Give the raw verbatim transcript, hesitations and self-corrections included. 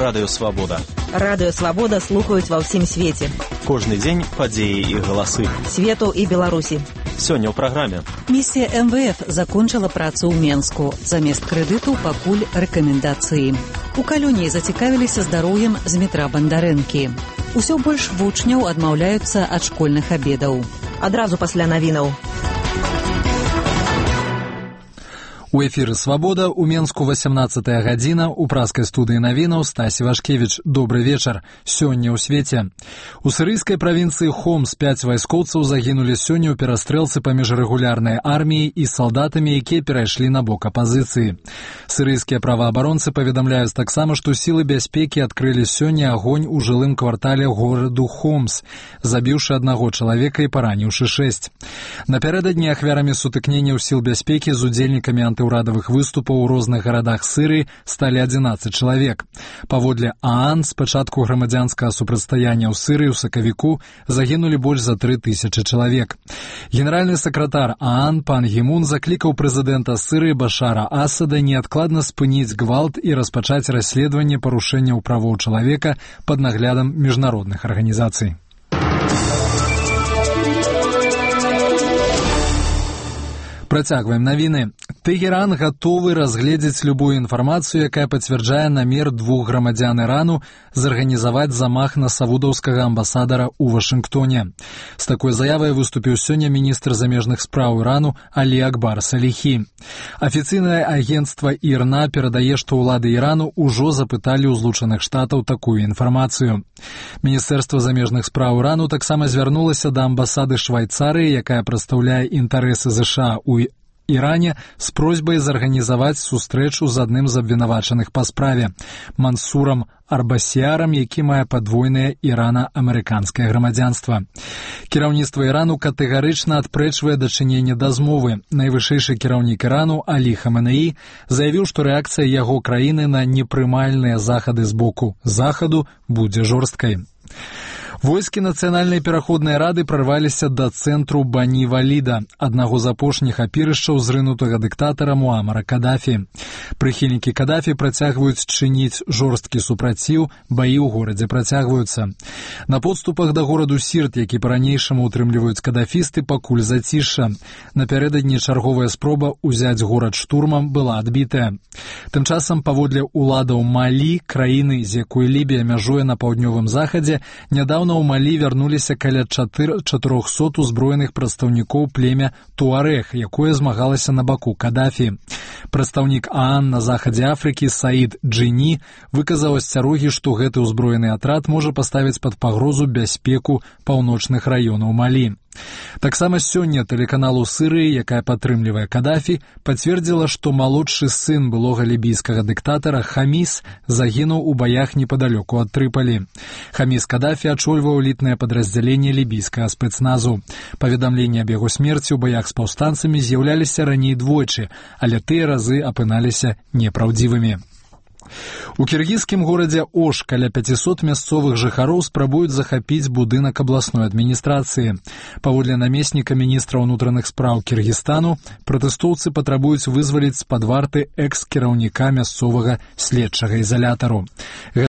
Радыё Свабода. Радыё Свабода слухаюць ва ўсім свеце. Кожны дзень падзеі і галасы. Свету і Беларусі. Сёння ў праграме. Місія эм вэ эф закончыла працу ў Менску. Замест крэдыту пакуль рэкамендацыі. У Калюні зацікавіліся здароўем з метра Бандарэнкі. Усё больш вучняў адмаўляюцца ад школьных абедаў. Адразу пасля навінаў. У эфіры «Свабода» у Менску васямнаццатая гадзіна, у праскай студыі навінаў Стасі Вашкевіч. Добры вечар. Сёння ў свеце. У сірыйскай правінцыі Хомс пяць вайскоўцаў загінулі сёння ў перастрэлцы паміж рэгулярнай арміяй і салдатамі, якія перайшлі на бок апазіцыі. Сірыйскія праваабаронцы паведамляюць таксама, што сілы бяспекі адкрылі сёння агонь у жылым квартале гораду Хомс, забіўшы аднаго чалавека і параніўшы шэсць. Напярэдадні ахвярамі сутыкненняў сіл бяспекі з удзельнікамі анты урадавых выступаў у розных гарадах Сырыі сталі адзінаццаць чалавек. Паводле ААН, з пачатку грамадзянскага супрацьстаяння ў Сырыі ў сакавіку загінулі больш за тры тысячы чалавек. Генеральны сакратар ААН пан Гімун заклікаў прэзідэнта Сырыі Башара Асада неадкладна спыніць гвалт і распачаць расследаванне парушэнняў правоў чалавека пад наглядам міжнародных арганізацый. Працягваем навіны. Тэгеран гатовы разгледзець любую інфармацыю, якая пацвярджае намер двух грамадзян Ірану зарганізаваць замах на саудаўскага амбасадара ў Вашынгтоне. З такой заявай выступіў сёння міністр замежных спраў Ірану Алі Акбар Саліхі. Афіцыйнае агенцтва ІРНА перадае, што ўлады Ірану ўжо запыталі ў Злучаных Штатаў такую інфармацыю. Міністэрства замежных спраў Ірану таксама звярнулася да амбасады Швайцарыі, якая прадстаўляе інтарэсы ЗША ў Іране, з просьбай зарганізаваць сустрэчу з адным з абвінавачаных па справе – Мансурам Арбасіярам, які мае падвойнае ірана-амерыканскае грамадзянства. Кіраўніцтва Ірану катэгарычна адпрэчвае дачыненне да змовы. Найвышэйшы кіраўнік Ірану Алі Хаменеі заявіў, што рэакцыя яго краіны на непрымальныя захады з боку захаду будзе жорсткай. Войскі Нацыянальнай пераходнай рады прарваліся да цэнтру Бані-Валіда, аднаго з апошніх апірышчаў зрынутага дыктатара Муамара Кадафі. Прыхільнікі Кадафі працягваюць чыніць жорсткі супраціў, баі ў горадзе працягваюцца. На подступах да гораду Сірт, які па-ранейшаму утрымліваюць кадафісты, пакуль зацішша. Напярэдадні чарговая спроба ўзяць горад штурмам была адбітая. Тым часам, паводле ўладаў Малі, краіны, з якой Лібія мяжуе на паўднёвым захадзе, нядаўна у Малі вярнуліся каля чатырохсот узброеных прадстаўнікоў племя Туарэг, якое змагалася на баку Кадафі. Прадстаўнік ААН на захадзе Афрыкі Саід Джині выказаў асцярогі, што гэты ўзброены атрад можа паставіць пад пагрозу бяспеку паўночных раёнаў Малі. Таксама сёння тэлеканалу Сырыі, якая падтрымлівае Кадафі, пацвердзіла, што малодшы сын былога лібійскага дыктатара Хаміс загінуў у баях непадалёку ад Трыпалі. Хаміс Кадафі ачольваў элітнае падраздзяленне лібійскага спецназу. Паведамленні аб яго смерці ў баях з паўстанцамі з'яўляліся раней двойчы, але тыя разы апыналіся непраўдзівымі. У кіргізскім горадзе Ош каля пяцісот мясцовых жыхароў спрабуюць захапіць будынак абласной адміністрацыі. Паводле намесніка міністра ўнутраных спраў Кіргізстану, пратэстоўцы патрабуюць вызваліць з-пад варты экс-кіраўніка мясцовага следчага ізалятару.